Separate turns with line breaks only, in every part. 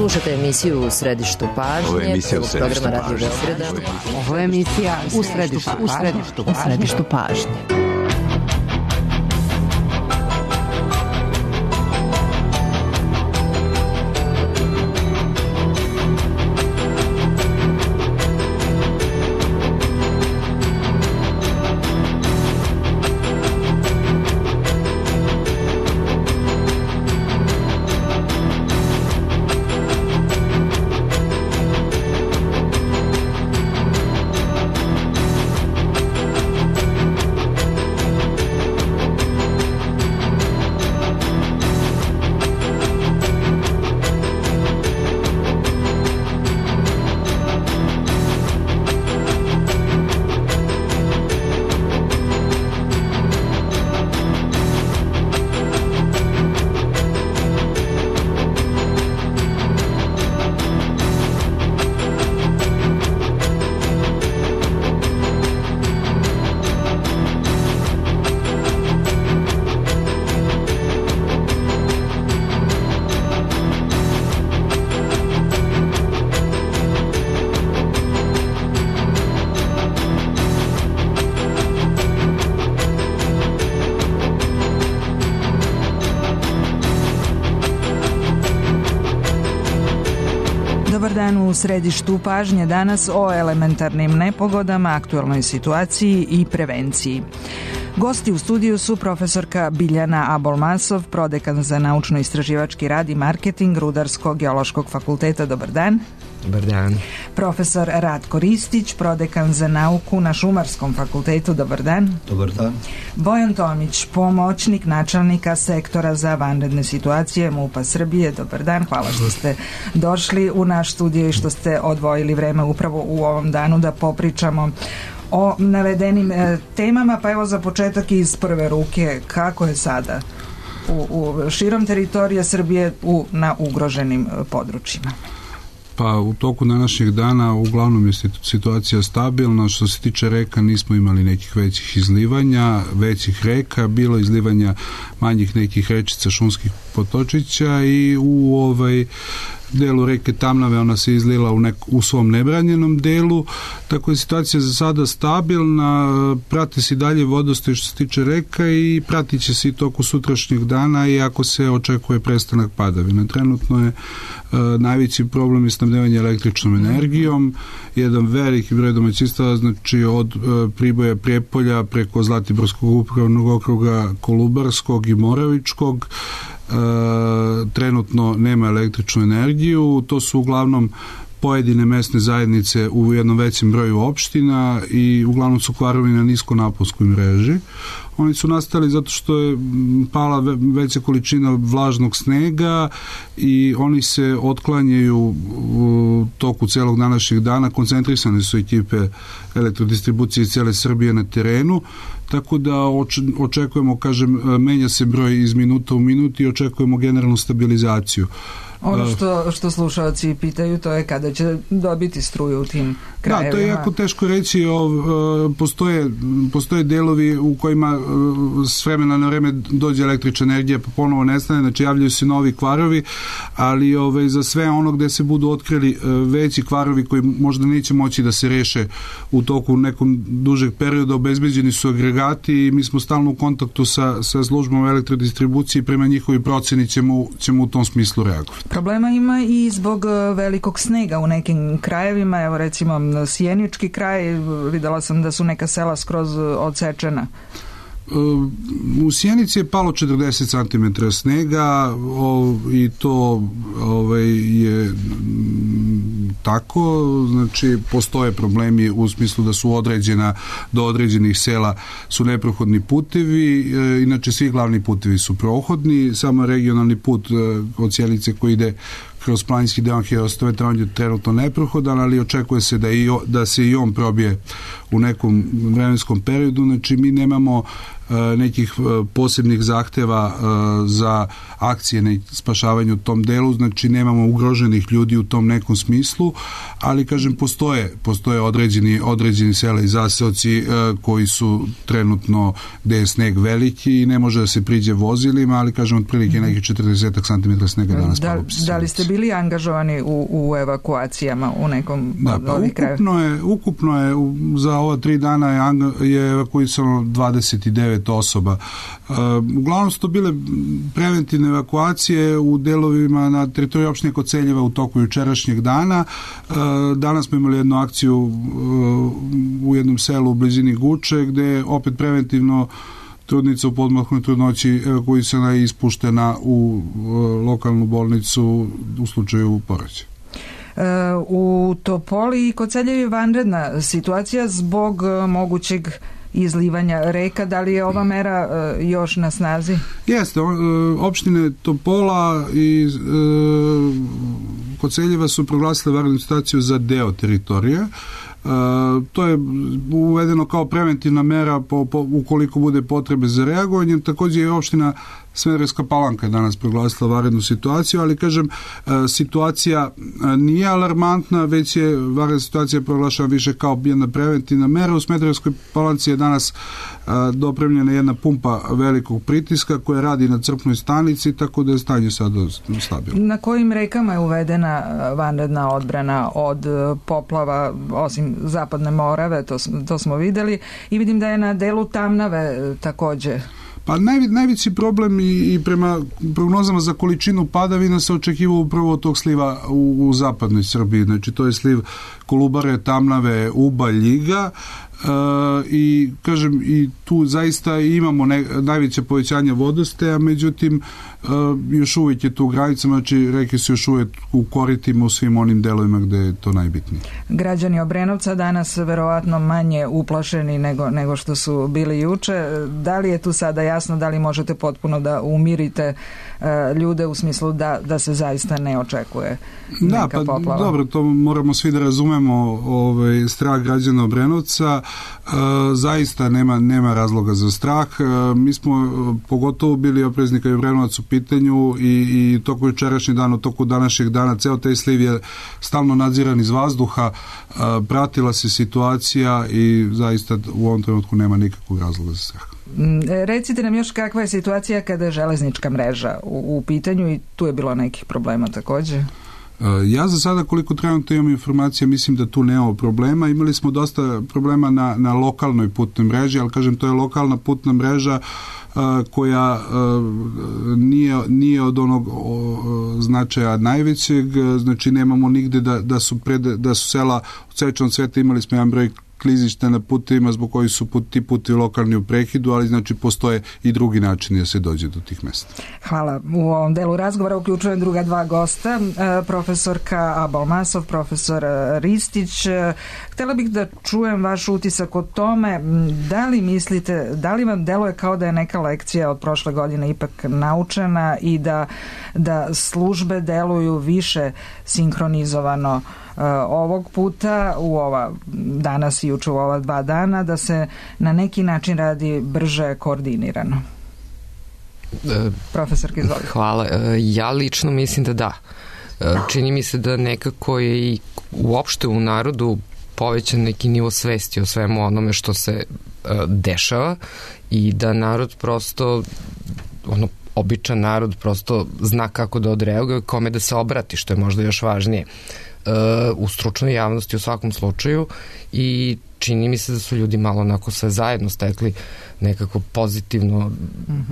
Slušate emisiju U središtu pažnje, programa Radio Beograda.
Ovo je emisija U središtu pažnje.
Dobar dan, u središtu pažnje danas o elementarnim nepogodama, aktuelnoj situaciji i prevenciji. Gosti u studiju su profesorka Biljana Abolmasov, prodekan za naučno-istraživački rad i marketing Rudarsko-geološkog fakulteta. Dobar dan.
Dobar dan.
Profesor Ratko Ristić, prodekan za nauku na Šumarskom fakultetu. Dobar dan.
Dobar dan.
Bojan Tomić, pomoćnik načelnika sektora za vanredne situacije MUP-a Srbije. Dobar dan, hvala što ste došli u naš studio i što ste odvojili vreme upravo u ovom danu da popričamo o navedenim temama. Pa evo za početak iz prve ruke, kako je sada u širom teritorija Srbije na ugroženim područjima?
Pa u toku današnjeg dana uglavnom je situacija stabilna. Što se tiče reka, nismo imali nekih većih izlivanja, većih reka, bilo izlivanja manjih nekih rečica, šumskih potočića i u delu reke Tamnave ona se izlila u svom nebranjenom delu, tako je situacija za sada stabilna, prati se i dalje vodostaj što se tiče reka i pratit će se i toku sutrašnjeg dana, iako se očekuje prestanak padavina. Trenutno je najveći problem je snabdevanje električnom energijom, jedan veliki broj domaćinstava, znači od Priboja, Prijepolja preko Zlatiborskog upravnog okruga, Kolubarskog i Moravičkog, trenutno nema električnu energiju. To su uglavnom pojedine mesne zajednice u jednom većem broju opština i uglavnom su kvarovi na niskonaponskoj mreži. Oni su nastali zato što je pala veća količina vlažnog snega i oni se otklanjaju u toku celog današnjeg dana. Koncentrisane su ekipe elektrodistribucije cijele Srbije na terenu, tako da očekujemo, menja se broj iz minuta u minut i očekujemo generalnu stabilizaciju.
Ono što slušalci pitaju, to je kada će dobiti struju u tim krajevima.
Da, to je jako teško reći. Postoje delovi u kojima s vremena na vreme dođe električna energija pa ponovo nestane, znači javljaju se novi kvarovi, ali za sve ono gde se budu otkrili veći kvarovi koji možda neće moći da se reše u toku nekom dužeg perioda, obezbeđeni su agregati i mi smo stalno u kontaktu sa službom elektrodistribucije i prema njihovi proceni ćemo u tom smislu reagovati.
Problema ima i zbog velikog snega u nekim krajevima, evo recimo Sjenički kraj, videla sam da su neka sela skroz odsečena.
U Sjenici je palo 40 cm snega i to je tako, znači postoje problemi u smislu da su do određenih sela su neprohodni putevi, inače svi glavni putevi su prohodni, samo regionalni put od Sjenice koji ide kroz planinski deo Herostove, on je trenutno neprohodan, ali očekuje se da se i on probije u nekom vremenskom periodu. Znači mi nemamo nekih posebnih zahteva za akcije na spašavanju u tom delu, znači nemamo ugroženih ljudi u tom nekom smislu, ali kažem postoje određeni sela i zaseoci koji su trenutno gde je sneg veliki i ne može da se priđe vozilima, ali kažem otprilike nekih 40 cm snega danas palo.
Da li ste bili angažovani u evakuacijama u nekom od ovih krajeva?
Ukupno je za ova 3 dana je evakuisano 29 osoba. Uglavnom su to bile preventivne evakuacije u delovima na teritoriji opštine Koceljeva u toku jučerašnjeg dana. Danas smo imali jednu akciju u jednom selu u blizini Guče, gde je opet preventivno trudnica u podmahnoj trudnoći evakuisana i ispuštena u lokalnu bolnicu u slučaju porođaja.
U Topoli i Koceljevi je vanredna situacija zbog mogućeg izlivanja reka. Da li je ova mera još na snazi?
Jeste, opštine Topola i Koceljeva su proglasile vanrednu situaciju za deo teritorije. To je uvedeno kao preventivna mera ukoliko bude potrebe za reagovanjem. Također je opština Smederevska Palanka danas proglasila vanrednu situaciju, ali kažem, situacija nije alarmantna, već je vanredna situacija proglašena više kao jedna preventivna mera. U Smederevskoj Palanci je danas dopremljena jedna pumpa velikog pritiska koja radi na crpnoj stanici, tako da je stanje sada stabilno.
Na kojim rekama je uvedena vanredna odbrana od poplava, osim Zapadne Morave, to smo videli, i vidim da je na delu Tamnave također.
Pa najveći problem i prema prognozama za količinu padavina se očekivao upravo od tog sliva u zapadnoj Srbiji. Znači to je sliv Kolubare, Tamnave, Uba, Ljiga, i kažem i tu zaista imamo najveće povećanje vodostaja, međutim još uvijek je tu u granicama, znači reke su još uvijek u koritima u svim onim delovima gde je to najbitnije.
Građani Obrenovca danas verovatno manje uplašeni nego što su bili juče. Da li je tu sada jasno, da li možete potpuno da umirite ljude u smislu da se zaista ne očekuje neka poplava?
Dobro, to moramo svi da razumemo, strah građana Obrenovca. Zaista nema razloga za strah. Mi smo pogotovo bili oprezni kad je Obrenovac u pitanju i toku jučerašnjeg dana, u toku današnjeg dana, ceo taj sliv je stalno nadziran iz vazduha, pratila se situacija i zaista u ovom trenutku nema nikakvog razloga za strah.
Recite nam još kakva je situacija kada je železnička mreža u pitanju i tu je bilo nekih problema također?
Ja za sada koliko trenutno imam informacija mislim da tu nema problema. Imali smo dosta problema na lokalnoj putnoj mreži, ali kažem to je lokalna putna mreža koja nije od onog značaja najvećeg, znači nemamo nigde da su sela od sečnog sveta, imali smo jedan broj klizišta na putevima zbog koji su ti putevi lokalni u prekidu, ali znači postoje i drugi načini da se dođe do tih mesta.
Hvala. U ovom delu razgovora uključujem druga dva gosta, profesorka Abalmasov, profesor Ristić. Htjela bih da čujem vaš utisak o tome, da li mislite, da li vam deluje kao da je neka lekcija od prošle godine ipak naučena i da službe deluju više sinkronizovano ovog puta u danas i juče u ova 2 dana, da se na neki način radi brže koordinirano? Profesorka, izvolite.
Hvala. Ja lično mislim da. Čini mi se da nekako je i uopšte u narodu povećan neki nivo svesti o svemu onome što se dešava i da narod prosto običan narod prosto zna kako da odreaguje, kome da se obrati, što je možda još važnije u stručnoj javnosti u svakom slučaju, i čini mi se da su ljudi malo onako sve zajedno stekli nekako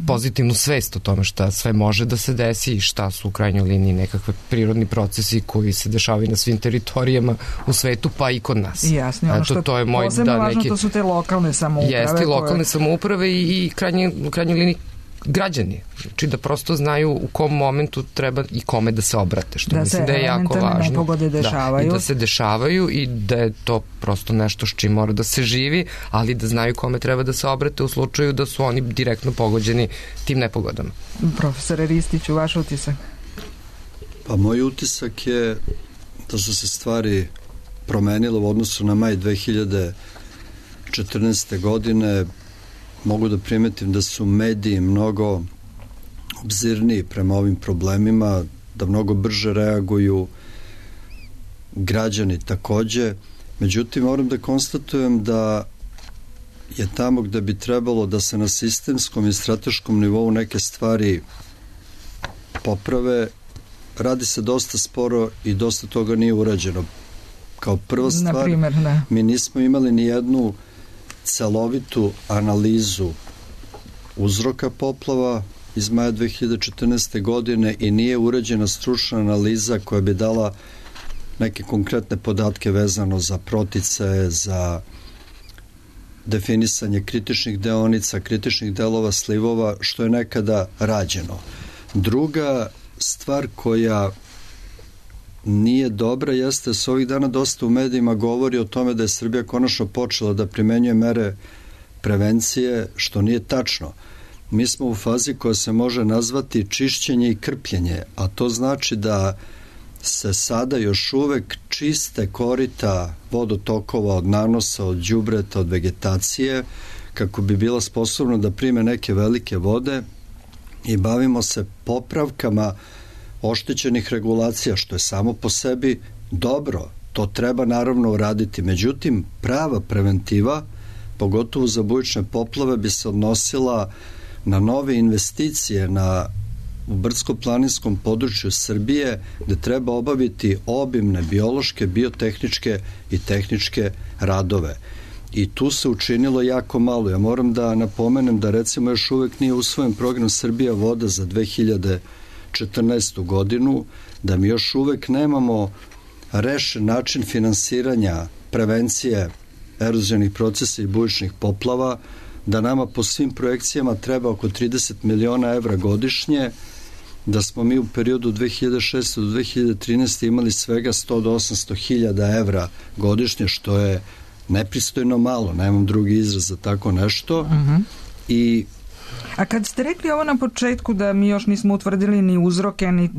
pozitivnu svest o tome šta sve može da se desi i šta su u krajnjoj liniji nekakve prirodni procesi koji se dešavaju na svim teritorijama u svetu, pa i kod nas.
Jasno, ono što je posebno važno, to su te lokalne samouprave.
Jeste, lokalne samouprave i u krajnjoj liniji građani, znači da prosto znaju u kom momentu treba i kome da se obrate, što mislim da je jako važno.
Nepogode dešavaju.
I da se dešavaju i da je to prosto nešto s čim mora da se živi, ali da znaju kome treba da se obrate u slučaju da su oni direktno pogođeni tim nepogodama.
Profesore Ristiću, vaš utisak?
Pa moj utisak je da su se stvari promenile u odnosu na maj 2014. godine. mogu da primetim da su mediji mnogo obzirniji prema ovim problemima, da mnogo brže reaguju, građani takođe. Međutim, moram da konstatujem da je tamo gde bi trebalo da se na sistemskom i strateškom nivou neke stvari poprave, radi se dosta sporo i dosta toga nije urađeno. Kao prva stvar, mi nismo imali ni jednu celovitu analizu uzroka poplava iz maja 2014. godine i nije urađena stručna analiza koja bi dala neke konkretne podatke vezano za proticaje, za definisanje kritičnih deonica, kritičnih delova slivova, što je nekada rađeno. Druga stvar koja nije dobra jeste da se ovih dana dosta u medijima govori o tome da je Srbija konačno počela da primenjuje mere prevencije, što nije tačno. Mi smo u fazi koja se može nazvati čišćenje i krpljenje, a to znači da se sada još uvek čiste korita vodotokova od nanosa, od đubreta, od vegetacije, kako bi bila sposobna da prime neke velike vode, i bavimo se popravkama oštećenih regulacija, što je samo po sebi dobro. To treba naravno uraditi. Međutim, prava preventiva, pogotovo za bujične poplave, bi se odnosila na nove investicije u brdsko-planinskom području Srbije, gde treba obaviti obimne biološke, biotehničke i tehničke radove. I tu se učinilo jako malo. Ja moram da napomenem da recimo još uvek nije usvojen program Srbija voda za 2014. godinu, da mi još uvek nemamo rešen način finansiranja prevencije erozionih procesa i bujičnih poplava, da nama po svim projekcijama treba oko 30 miliona evra godišnje, da smo mi u periodu 2006. do 2013. imali svega 100 do 800 hiljada evra godišnje, što je nepristojno malo, nemam drugi izraz za tako nešto.
A kad ste rekli ovo na početku da mi još nismo utvrdili ni uzroke, ni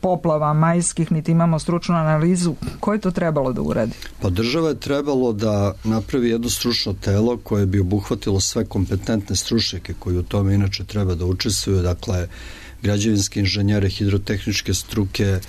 poplava majskih, niti imamo stručnu analizu, ko je to trebalo da uradi?
Pa država je trebalo da napravi jedno stručno telo koje bi obuhvatilo sve kompetentne stručnjake koji u tome inače treba da učestvuju, dakle građevinske inženjere, hidrotehničke struke,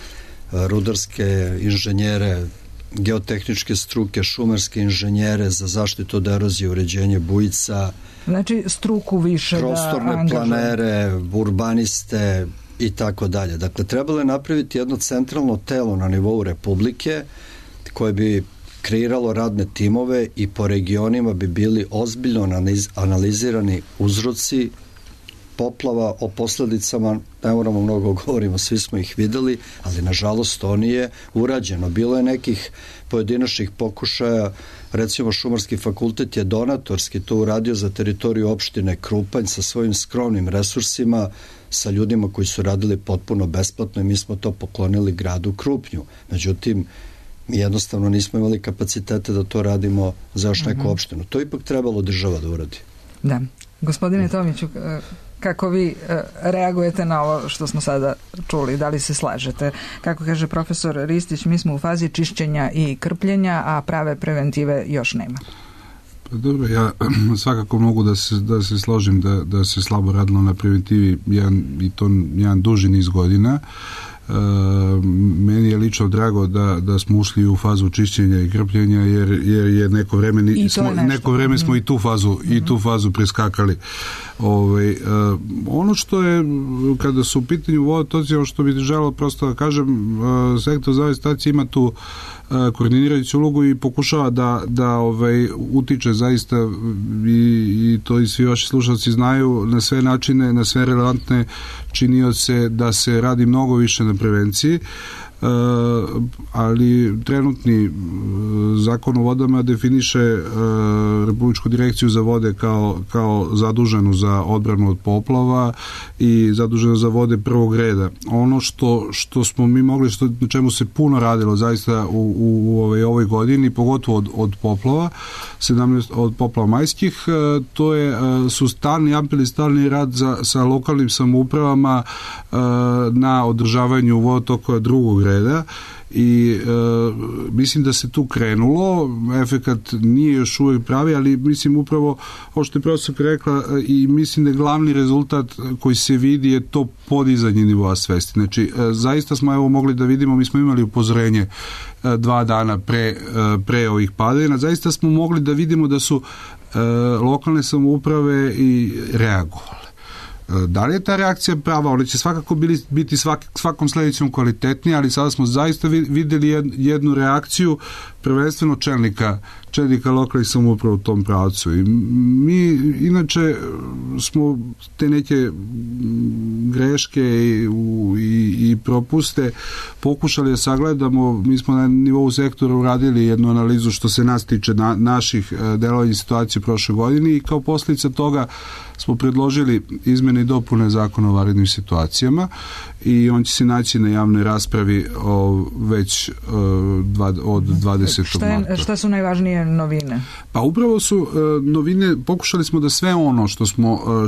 rudarske inženjere, geotehničke struke, šumarske inženjere za zaštitu od erozije, uređenje bujica,
znači struku više
prostorne planere, urbaniste i tako dalje. Dakle, trebalo je napraviti jedno centralno telo na nivou Republike koje bi kreiralo radne timove i po regionima bi bili ozbiljno analizirani uzroci poplava. O posledicama ne moramo mnogo govorimo, svi smo ih videli, ali nažalost to nije urađeno. Bilo je nekih pojedinačnih pokušaja, recimo Šumarski fakultet je donatorski to uradio za teritoriju opštine Krupanj sa svojim skromnim resursima, sa ljudima koji su radili potpuno besplatno i mi smo to poklonili gradu Krupnju. Međutim, mi jednostavno nismo imali kapacitete da to radimo za još neku opštinu. To ipak trebalo država da uradi.
Da. Gospodine Tomiću, kako vi reagujete na ovo što smo sada čuli? Da li se slažete? Kako kaže profesor Ristić, mi smo u fazi čišćenja i krpljenja, a prave preventive još nema.
Pa dobro, ja svakako mogu da se složim da se slabo radilo na preventivi i to jedan duži niz godina. Meni je lično drago da smo ušli u fazu čišćenja i krpljenja jer je neko vreme smo i tu fazu preskakali. Ono što je, kada su u pitanju vodotoci, ono što bih želeo prosto da kažem, sektor za ove stacije ima tu koordinirajuću ulogu i pokušava da utiče zaista i to i svi vaši slušalci znaju na sve načine, na sve relevantne činioce da se radi mnogo više na prevenciji, ali trenutni zakon o vodama definiše Republičku direkciju za vode kao zaduženu za odbranu od poplava i zaduženu za vode prvog reda. Ono što smo mi mogli, na čemu se puno radilo zaista u ovoj godini, pogotovo od poplava, od poplava majskih, to su stalni apeli, stalni rad sa lokalnim samoupravama na održavanju vodotokova drugog reda, reda i mislim da se tu krenulo, efekat nije još uvijek pravi, ali mislim upravo ovo što je profesorka rekla i mislim da je glavni rezultat koji se vidi je to podizanje nivoa svesti. Znači, zaista smo evo mogli da vidimo, mi smo imali upozorenje 2 dana pre ovih padavina, zaista smo mogli da vidimo da su lokalne samouprave i reagovale. Da li je ta reakcija prava? Ona će svakako biti svakom sledećom kvalitetnija, ali sada smo zaista videli jednu reakciju prvenstveno čelnika lokalnih samouprava u tom pravcu. I mi inače smo te neke greške i propuste pokušali da sagledamo. Mi smo na nivou sektora uradili jednu analizu što se nas tiče naših delovanja situacije prošle godine i kao posljedica toga smo predložili izmene i dopune Zakona o vanrednim situacijama i on će se naći na javnoj raspravi već od 20. marta.
Šta su najvažnije novine?
Pa upravo su novine, pokušali smo da sve ono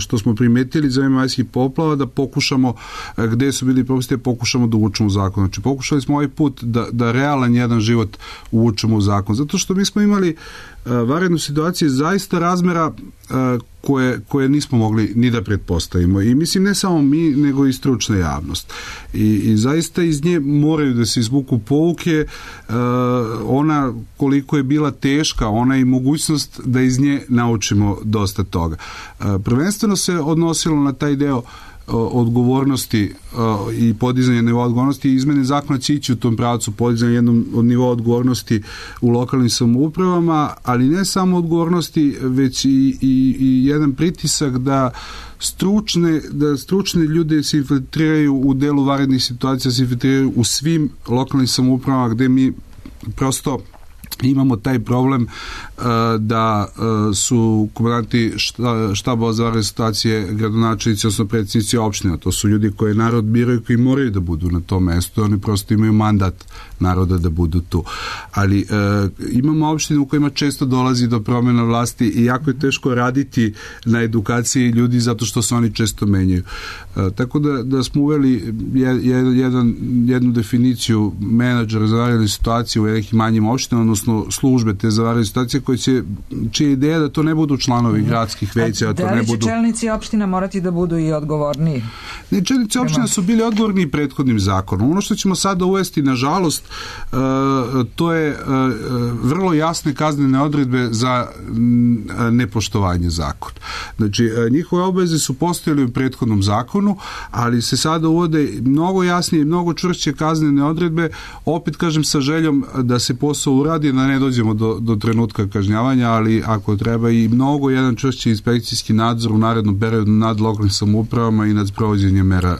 što smo primetili za vreme majskih poplava, da pokušamo, gde su bili propusti, pokušamo da uvučemo u zakon. Znači, pokušali smo ovaj put da realan jedan život uvučemo u zakon. Zato što mi smo imali vanrednu situaciju zaista razmera koje nismo mogli ni da pretpostavimo. I mislim ne samo mi, nego i stručna javnost. I zaista iz nje moraju da se izvuku pouke, ona koliko je bila teška, ona i mogućnost da iz nje naučimo dosta toga. Prvenstveno se odnosilo na taj deo odgovornosti i podizanje nivoa odgovornosti i izmene zakona će ići u tom pravcu podizanja jednom od nivoa odgovornosti u lokalnim samoupravama, ali ne samo odgovornosti, već i jedan pritisak da stručne ljude se infiltriraju u delu vanrednih situacija, se infiltriraju u svim lokalnim samoupravama gde mi prosto imamo taj problem da su komandanti štaba za vanredne situacije gradonačelnici, odnosno predsjednici opština. To su ljudi koje narod biraju, koji moraju da budu na tom mestu. Oni prosto imaju mandat naroda da budu tu. Ali imamo opštine u kojima često dolazi do promjena vlasti i jako je teško raditi na edukaciji ljudi zato što se oni često menjaju. Tako da smo uveli jednu definiciju menadžera za vanredne situacije u nekim manjim opštinama, odnosno službe te za vanredne situacije čija ideja da to ne budu članovi gradskih veća.
Da li će čelnici opština morati da budu i odgovorniji?
Ne, čelnici opština su bili odgovorni prethodnim zakonom. Ono što ćemo sada uvesti, nažalost, to je vrlo jasne kaznene odredbe za nepoštovanje zakona. Znači, njihove obaveze su postojali u prethodnom zakonu, ali se sada uvode mnogo jasnije i mnogo čvršće kaznene odredbe, opet kažem sa željom da se posao uradi, da ne dođemo do trenutka kažnjavanja, ali ako treba i mnogo jedan čvršći inspekcijski nadzor u narednom periodu nad lokalnim samoupravama i nad sprovođenjem mera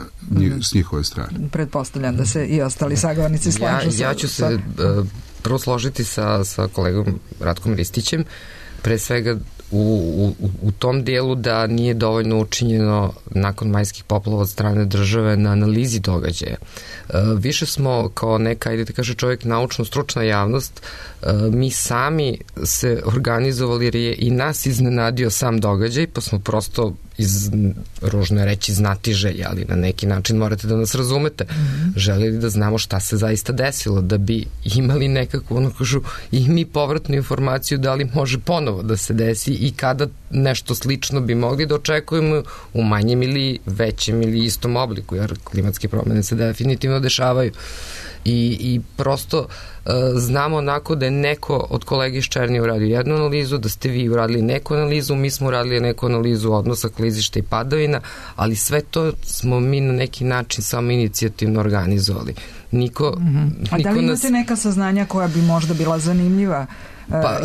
s njihove strane.
Pretpostavljam da se i ostali sagovornici slažu.
Ja ću se prvo složiti sa kolegom Ratkom Ristićem, pre svega u tom dijelu da nije dovoljno učinjeno nakon majskih poplava od strane države na analizi događaja. Više smo kao neka, ajde da kaže čovjek, naučno-stručna javnost, mi sami se organizovali jer je i nas iznenadio sam događaj, pa smo prosto ružno reći znatiželja, ali na neki način morate da nas razumete. Želeli da znamo šta se zaista desilo, da bi imali nekakvu, i mi povratnu informaciju da li može ponovo da se desi i kada nešto slično bi mogli da očekujemo u manjem ili većem ili istom obliku, jer klimatske promene se definitivno dešavaju. I prosto znamo onako da je neko od kolege iz Černije uradio jednu analizu, da ste vi uradili neku analizu, mi smo uradili neku analizu odnosa klizišta i padavina, ali sve to smo mi na neki način samo inicijativno organizovali. A
da li imate neka saznanja koja bi možda bila zanimljiva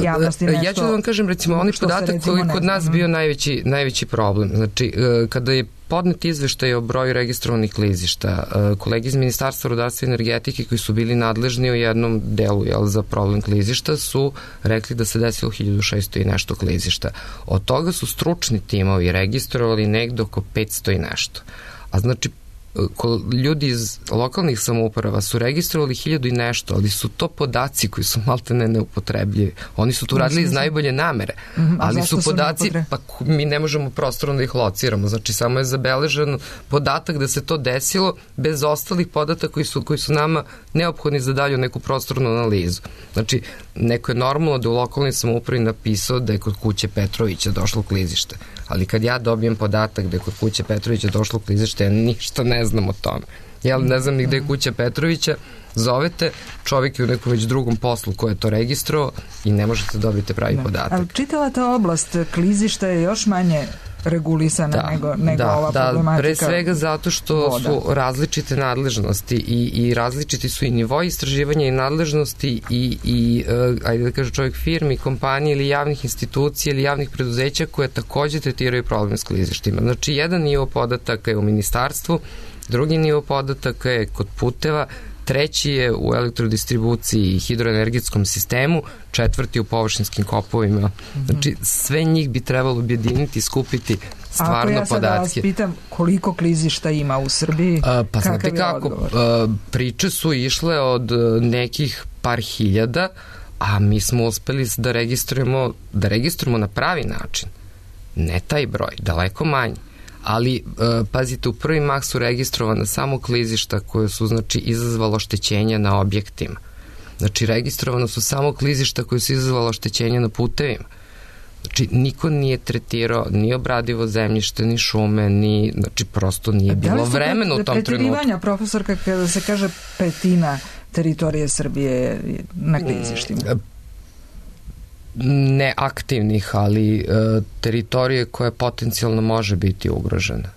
javnosti?
Ja ću da vam kažem, recimo, onaj podatak koji je kod nas bio najveći problem. Znači, kada je podnet izveštaj o broju registrovanih klizišta, kolegi iz Ministarstva rudarstva i energetike koji su bili nadležni u jednom delu za problem klizišta su rekli da se desilo 1600 i nešto klizišta. Od toga su stručni timovi registrovali negde oko 500 i nešto. A znači ljudi iz lokalnih samouprava su registrovali 1000 i nešto, ali su to podaci koji su maltene neupotrebljivi. Oni su tu radili iz najbolje namere, ali su podaci, pa mi ne možemo prostorno da ih lociramo, znači samo je zabeležen podatak da se to desilo bez ostalih podataka koji su nama neophodni za dalju neku prostornu analizu. Znači, neko je normalno da u lokalnoj samoupravi napisao da je kod kuće Petrovića došlo klizište, ali kad ja dobijem podatak da je kod kuće Petrovića došlo klizište, ja ništa ne znam o tome. Ja ne znam ni gde je kuća Petrovića, zovete, čovjek je u nekom već drugom poslu ko je to registrovao i ne možete dobiti pravi podatak.
Ali čitava ta oblast klizišta je još manje regulisana nego ova problematika.
Pre svega zato što su različite nadležnosti i različiti su i nivoi istraživanja i nadležnosti i ajde da kaže čovjek, firmi, kompanije ili javnih institucija ili javnih preduzeća koje takođe tretiraju problem s klizištima. Znači, jedan nivo podataka je u ministarstvu, drugi nivo podataka je kod puteva, treći je u elektrodistribuciji i hidroenergetskom sistemu, četvrti u površinskim kopovima. Znači, sve njih bi trebalo objediniti i skupiti stvarno podatke.
Ako ja sada vas pitam koliko klizišta ima u Srbiji,
pa znate kako, priče su išle od nekih par hiljada, a mi smo uspeli da registrujemo na pravi način. Ne taj broj, daleko manji. Ali, pazite, u prvi mah su registrovane samo klizišta koje su, znači, izazvalo oštećenja na objektima. Znači, registrovano su samo klizišta koje su izazvalo oštećenja na putevima. Znači, niko nije tretirao ni obradivo zemljište, ni šume, znači, prosto nije bilo vremena u tom trenutku.
Preterivanja, profesorka, kada se kaže petina teritorije Srbije na klizištima?
Neaktivnih, ali teritorije koja potencijalno može biti ugrožena.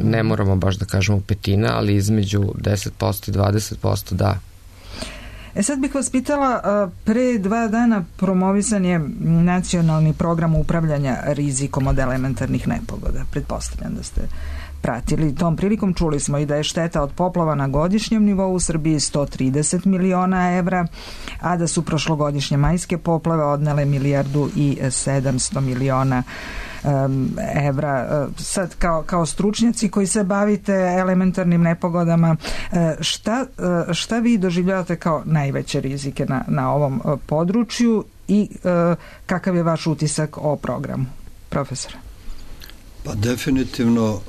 Ne moramo baš da kažemo petina, ali između 10% i 20% da.
Sad bih vas pitala, pre 2 dana promovisan je nacionalni program upravljanja rizikom od elementarnih nepogoda. Pretpostavljam da ste pratili. Tom prilikom čuli smo i da je šteta od poplava na godišnjem nivou u Srbiji 130 miliona evra, a da su prošlogodišnje majske poplave odnele 1,7 milijardi evra. Sad, kao stručnjaci koji se bavite elementarnim nepogodama, šta vi doživljavate kao najveće rizike na ovom području i kakav je vaš utisak o programu, profesora?
Pa definitivno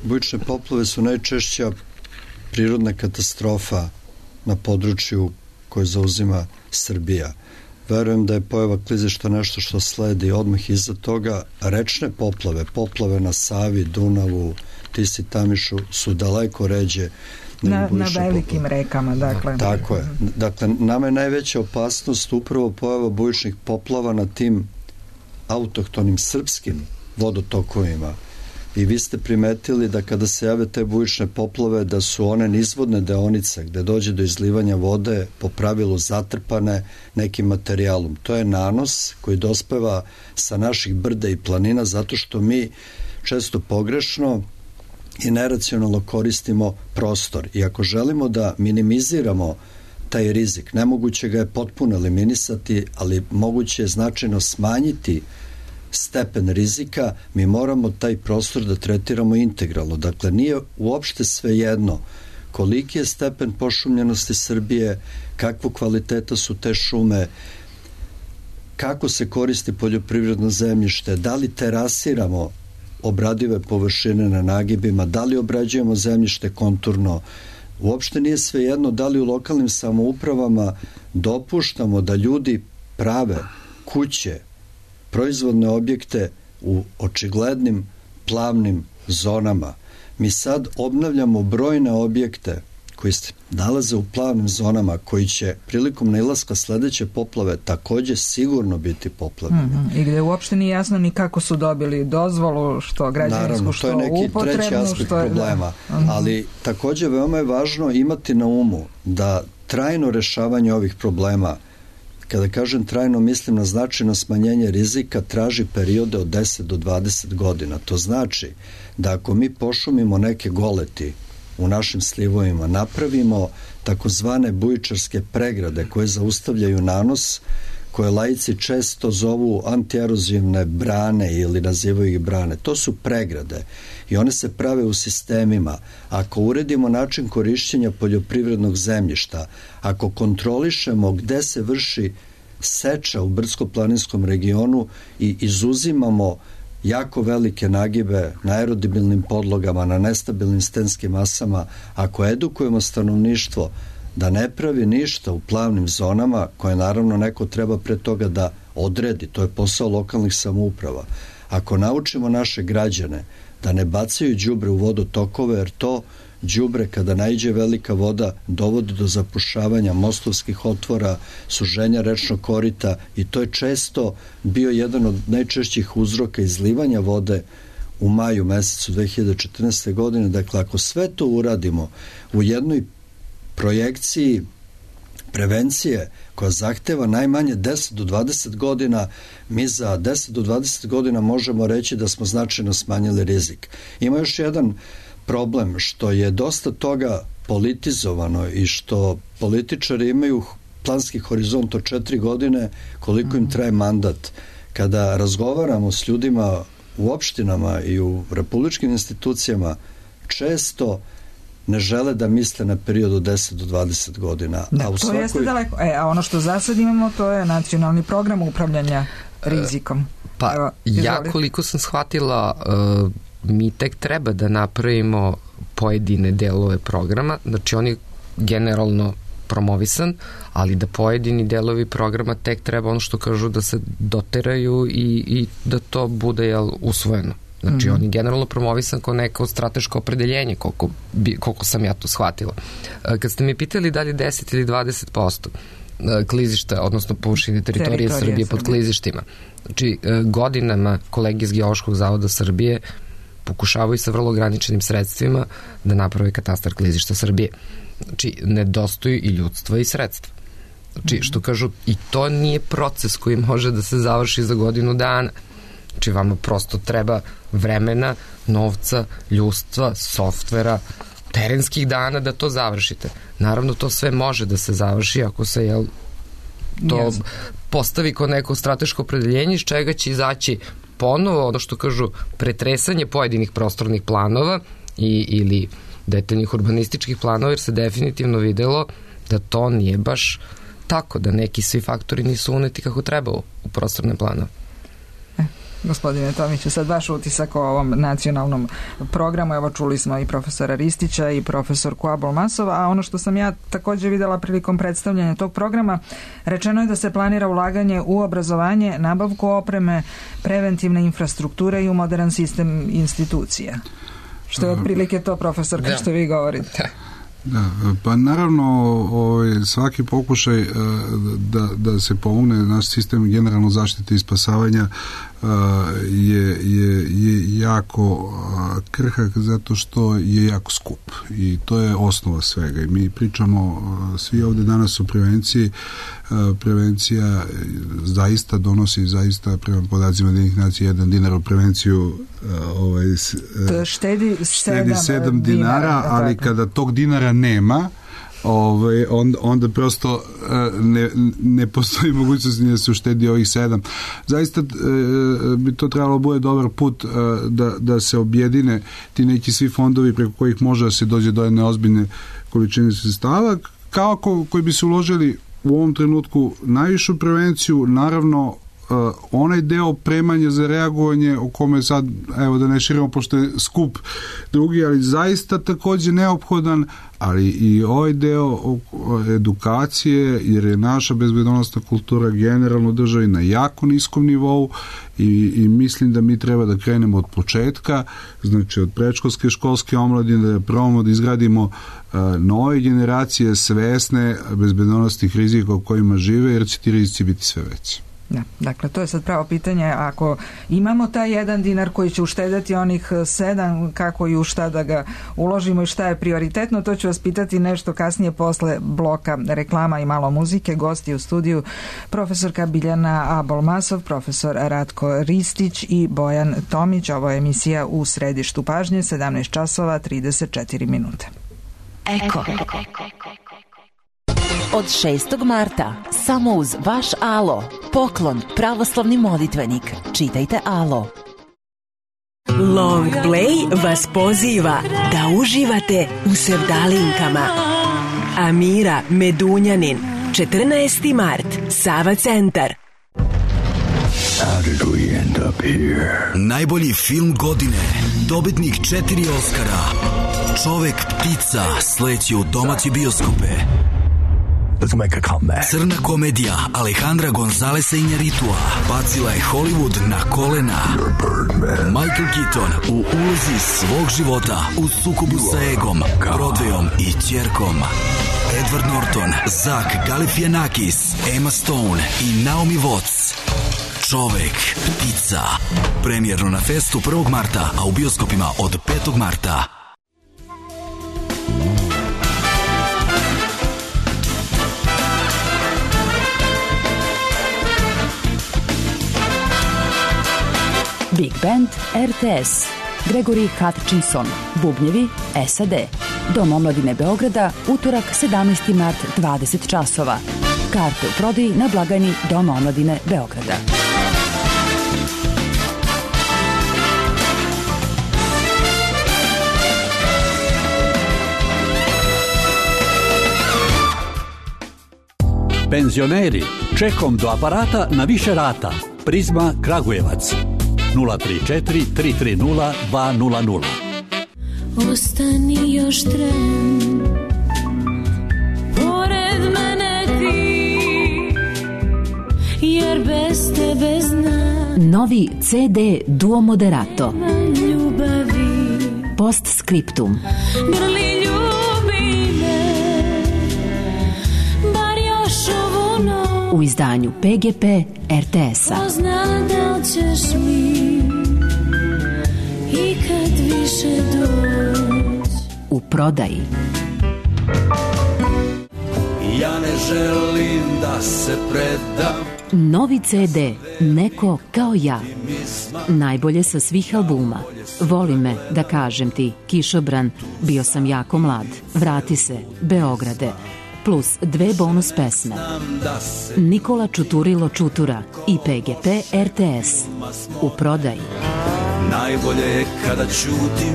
bujične poplave su najčešća prirodna katastrofa na području koje zauzima Srbija. Verujem da je pojava klizišta nešto što sledi odmah iza toga. Rečne poplave na Savi, Dunavu, Tisi, Tamišu su daleko ređe
na velikim rekama, dakle.
Tako je. Dakle, nama je najveća opasnost upravo pojava bujičnih poplava na tim autohtonim srpskim vodotokovima. I vi ste primetili da kada se jave te bujične poplave, da su one nizvodne deonice gde dođe do izlivanja vode po pravilu zatrpane nekim materijalom. To je nanos koji dospeva sa naših brda i planina zato što mi često pogrešno i neracionalno koristimo prostor. I ako želimo da minimiziramo taj rizik, nemoguće ga je potpuno eliminisati, ali moguće je značajno smanjiti stepen rizika, mi moramo taj prostor da tretiramo integralno. Dakle, nije uopšte svejedno koliki je stepen pošumljenosti Srbije, kakvu kvaliteta su te šume, kako se koristi poljoprivredno zemljište, da li terasiramo obradive površine na nagibima, da li obrađujemo zemljište konturno. Uopšte nije svejedno da li u lokalnim samoupravama dopuštamo da ljudi prave kuće, proizvodne objekte u očiglednim plavnim zonama. Mi sad obnavljamo brojne objekte koji se nalaze u plavnim zonama, koji će prilikom nailaska sledeće poplave takođe sigurno biti poplavljeni.
I gde uopšte nije jasno ni kako su dobili dozvolu, što građevinsku, što upotrebnu.
Naravno, to je neki treći aspekt problema. Ali takođe veoma je važno imati na umu da trajno rešavanje ovih problema, kada kažem trajno, mislim na značajno smanjenje rizika, traži periode od 10 do 20 godina. To znači da ako mi pošumimo neke goleti u našim slivovima, napravimo takozvane bujičarske pregrade koje zaustavljaju nanos, koje laici često zovu antierozivne brane ili nazivaju ih brane. To su pregrade i one se prave u sistemima. Ako uredimo način korišćenja poljoprivrednog zemljišta, ako kontrolišemo gde se vrši seča u brdsko-planinskom regionu i izuzimamo jako velike nagibe na aerodibilnim podlogama, na nestabilnim stenskim masama, ako edukujemo stanovništvo da ne pravi ništa u plavnim zonama, koje naravno neko treba pre toga da odredi, to je posao lokalnih samouprava. Ako naučimo naše građane da ne bacaju đubre u vodotokove, jer to đubre kada naiđe velika voda dovodi do zapušavanja mostovskih otvora, suženja rečnog korita i to je često bio jedan od najčešćih uzroka izlivanja vode u maju mesecu 2014. godine. Dakle, ako sve to uradimo u jednoj projekciji prevencije koja zahteva najmanje 10 do 20 godina, mi za 10 do 20 godina možemo reći da smo značajno smanjili rizik. Ima još jedan problem, što je dosta toga politizovano i što političari imaju planski horizont od 4 godine koliko im traje mandat. Kada razgovaramo s ljudima u opštinama i u republičkim institucijama, često ne žele da misle na period od 10 do 20 godina.
Da, to jeste daleko. A ono što za sad imamo, to je nacionalni program upravljanja rizikom.
Pa, evo, ja koliko sam shvatila, mi tek treba da napravimo pojedine delove programa, znači on je generalno promovisan, ali da pojedini delovi programa tek treba, ono što kažu, da se doteraju i da to bude usvojeno. Znači, on je generalno promovisan kao neko strateško opredeljenje, koliko sam ja to shvatila. Kad ste mi pitali da li 10 ili 20% klizišta, odnosno površine teritorije Srbije pod klizištima, znači, godinama kolege iz Geološkog zavoda Srbije pokušavaju sa vrlo ograničenim sredstvima da naprave katastar klizišta Srbije. Znači, nedostaju i ljudstva i sredstva. Znači, što kažu, i to nije proces koji može da se završi za godinu dana. Znači, vama prosto treba vremena, novca, ljudstva, softvera, terenskih dana da to završite. Naravno, to sve može da se završi ako se to postavi kao neko strateško opredeljenje iz čega će izaći ponovo, ono što kažu, pretresanje pojedinih prostornih planova ili detaljnih urbanističkih planova, jer se definitivno videlo da to nije baš tako, da neki svi faktori nisu uneti kako treba u prostorne planove.
Gospodine Tomiću, sad vaš utisak o ovom nacionalnom programu, evo čuli smo i profesora Ristića i profesorku Abolmasova, a ono što sam ja također videla prilikom predstavljanja tog programa, rečeno je da se planira ulaganje u obrazovanje, nabavku opreme, preventivne infrastrukture i u modern sistem institucija. Što je otprilike to, profesor, što vi govorite?
Da, pa naravno svaki pokušaj da se pomogne naš sistem generalno zaštite i spasavanja je jako krhak zato što je jako skup i to je osnova svega i mi pričamo svi ovde danas o prevenciji. Prevencija zaista donosi, zaista prema podacima Ujedinjenih nacija, 1 dinar u prevenciju
štedi
7 dinara, ali kada tog dinara nema, onda prosto ne postoji mogućnost da se uštedi ovih 7. Zaista bi to trebalo bude dobar put da se objedine ti neki svi fondovi preko kojih može da se dođe do jedne ozbiljne količine sredstava, kako koji bi se uložili u ovom trenutku najvišu prevenciju, naravno onaj deo opremanja za reagovanje o kome sad, evo da ne širimo pošto je skup drugi, ali zaista također neophodan, ali i ovaj deo edukacije, jer je naša bezbednosna kultura generalno državi na jako niskom nivou i mislim da mi treba da krenemo od početka, znači od predškolske, školske omladine, da probamo da izgradimo nove generacije svesne bezbednosnih rizika u kojima žive, jer će ti rizici biti sve veći.
Da, dakle, to je sad pravo pitanje. Ako imamo taj 1 dinar koji će uštedati onih 7, kako i u šta da ga uložimo i šta je prioritetno, to ću vas pitati nešto kasnije posle bloka reklama i malo muzike. Gosti u studiju profesorka Biljana Abolmasov, profesor Ratko Ristić i Bojan Tomić. Ovo je emisija U središtu pažnje, 17 časova 34 minute.
Eko. Od 6. marta samo uz vaš Alo Poklon, pravoslavni molitvenik. Čitajte Alo.
Long Play vas poziva da uživate u sevdalinkama. Amira Medunjanin, 14. mart, Sava centar.
How did we end up here? Najbolji film godine, dobitnik 4 Oskara, Čovek ptica sleće u domaće bioskope. Let's make a comeback. Crna komedija Alejandra Gonzalesa Iñárritua bacila je Hollywood na kolena. Michael Keaton u ulozi svog života u sukobu sa egom, Broadwayom i ćerkom. Edward Norton, Zach Galifianakis, Emma Stone i Naomi Watts. Čovek ptica. Premijerno na festu 1. marta, a u bioskopima od 5. marta.
Big Band RTS. Gregory Hutchinson. Bubnjevi SAD. Dom omladine Beograda, utorak 17. mart, 20 časova. Karte u prodaji na blagajni Doma omladine Beograda.
Penzioneri, čekom do aparata na više rata. Prizma Kragujevac. 034 330 200.
Ostani još tren, pored mene ti, jer bez tebe znam.
Novi CD Duo Moderato.
Ljubavi.
Postscriptum.
Grli ljubi me, bar još ovu noć.
U izdanju PGP RTS-a.
Pozna da ćeš mi ikad više doć.
U prodaji.
Ja ne želim da se predam.
Novi CD Neko kao ja. Najbolje sa svih albuma. Voli me, da kažem ti, Kišobran, Bio sam jako mlad, Vrati se, Beograde, plus 2 bonus pesme. Nikola Čuturilo Čutura i PGP RTS. U prodaji.
Najbolje je kada ćutim,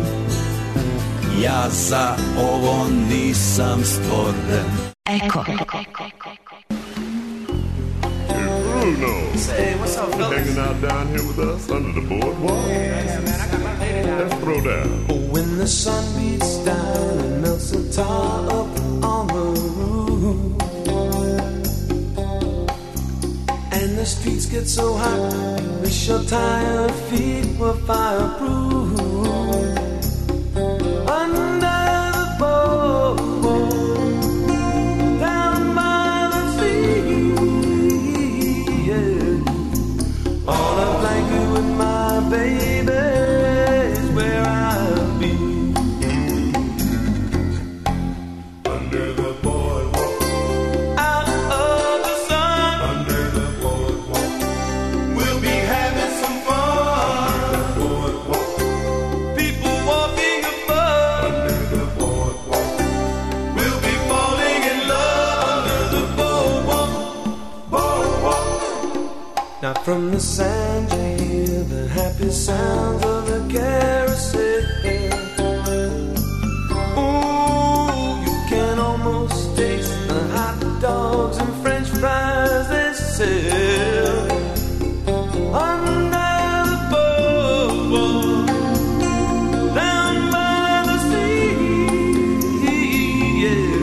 ja za ovo nisam stvoren.
Eko.
Bruno, hey, what's up, fellas? Hanging out down here with us under the boardwalk. Yeah, man, I got my lady down. Let's throw down.
When the sun beats down and melts the tar up on the roof, and the streets get so hot, wish your tired feet were fireproof. Under the boardwalk, down by the sea, yeah. On a blanket with my baby is where I'll be. Under the boardwalk, out of the sun. Under the boardwalk, we'll be having some fun. Under the boardwalk, people walking above. Under the boardwalk, we'll be falling in love. Under the boardwalk, boardwalk. Now from the sand you hear the happy sounds of the carousel. Ooh, you can almost taste the hot dogs and French fries they sell. Under the boardwalk, down by the sea, yeah.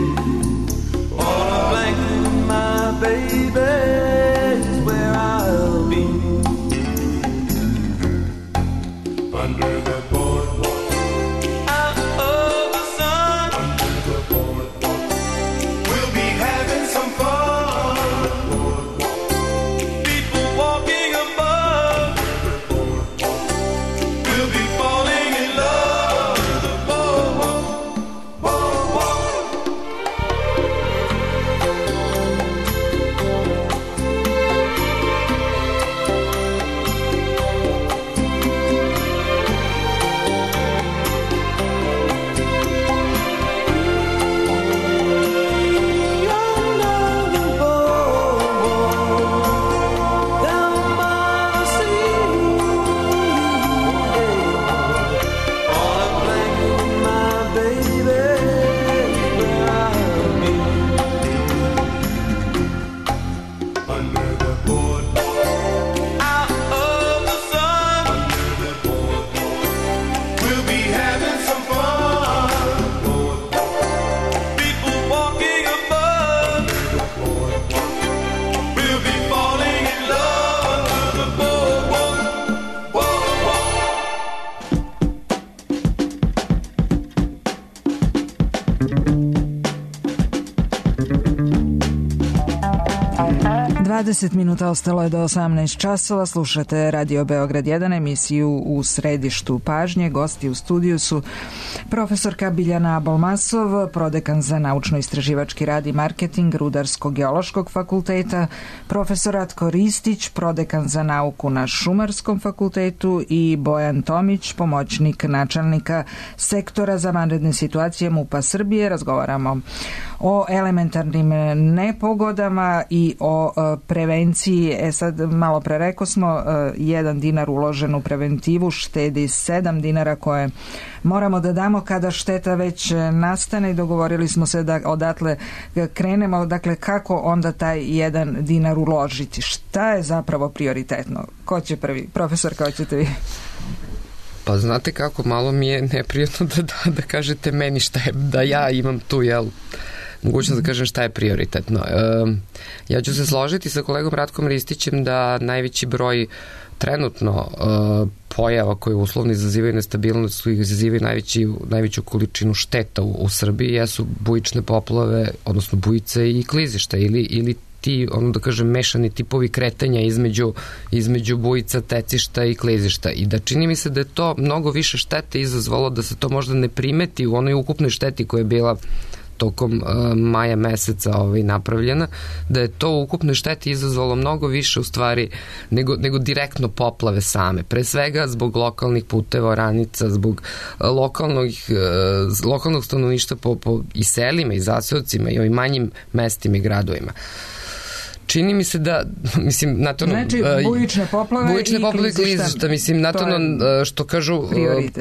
On a blanket with my baby is where I'll be. Under the boardwalk.
20 minuta ostalo je do 18 časova. Slušate Radio Beograd 1, emisiju U središtu pažnje. Gosti u studiju su profesorka Biljana Abolmasov, prodekan za naučno-istraživački rad i marketing Rudarsko-geološkog fakulteta, profesor Ratko Ristić, prodekan za nauku na Šumarskom fakultetu i Bojan Tomić, pomoćnik načelnika sektora za vanredne situacije MUP-a Srbije. Razgovaramo o elementarnim nepogodama i o prevenciji. Sad malo pre rekao smo, 1 dinar uložen u preventivu štedi 7 dinara koje moramo da damo kada šteta već nastane i dogovorili smo se da odatle krenemo. Dakle, kako onda taj 1 dinar uložiti? Šta je zapravo prioritetno? Ko će prvi? Profesor, kao ćete vi?
Pa znate kako, malo mi je neprijatno da kažete meni šta je, da ja imam tu, mogućnost da kažem šta je prioritetno. Ja ću se složiti sa kolegom Ratkom Ristićem da najveći broj trenutno pojava koje uslovno izazivaju nestabilnost, koji izazivaju najveću količinu šteta u Srbiji jesu bujične poplave, odnosno bujice i klizišta ili ti, da kažem, mešani tipovi kretanja između bujica, tecišta i klizišta. I da čini mi se da je to mnogo više štete izazvalo, da se to možda ne primeti u onoj ukupnoj šteti koja je bila tokom maja meseca napravljena, da je to u ukupnoj šteti izazvalo mnogo više u stvari nego direktno poplave same. Pre svega zbog lokalnih puteva, oranica, zbog lokalnog stanovništva i selima i zaseocima i ovim manjim mestima i gradovima. Čini mi se da, mislim,
znači, bujične poplave i klizišta.
Mislim, što kažu,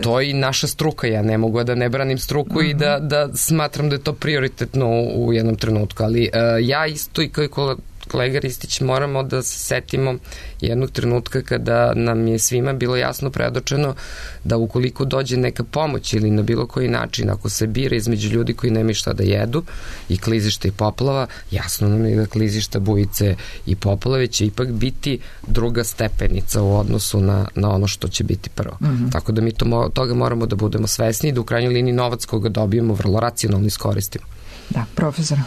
to je i naša struka. Ja ne mogu da ne branim struku i da smatram da je to prioritetno u jednom trenutku. Ali ja isto i kao i kolega Ristić moramo da se setimo jednog trenutka kada nam je svima bilo jasno predočeno da ukoliko dođe neka pomoć ili na bilo koji način, ako se bira između ljudi koji nemaju šta da jedu i klizišta i poplava, jasno nam je da klizišta, bujice i poplave će ipak biti druga stepenica u odnosu na ono što će biti prvo. Tako da mi toga moramo da budemo svesni i da u krajnjoj liniji novac koga dobijemo vrlo racionalno iskoristimo.
Da, profesora.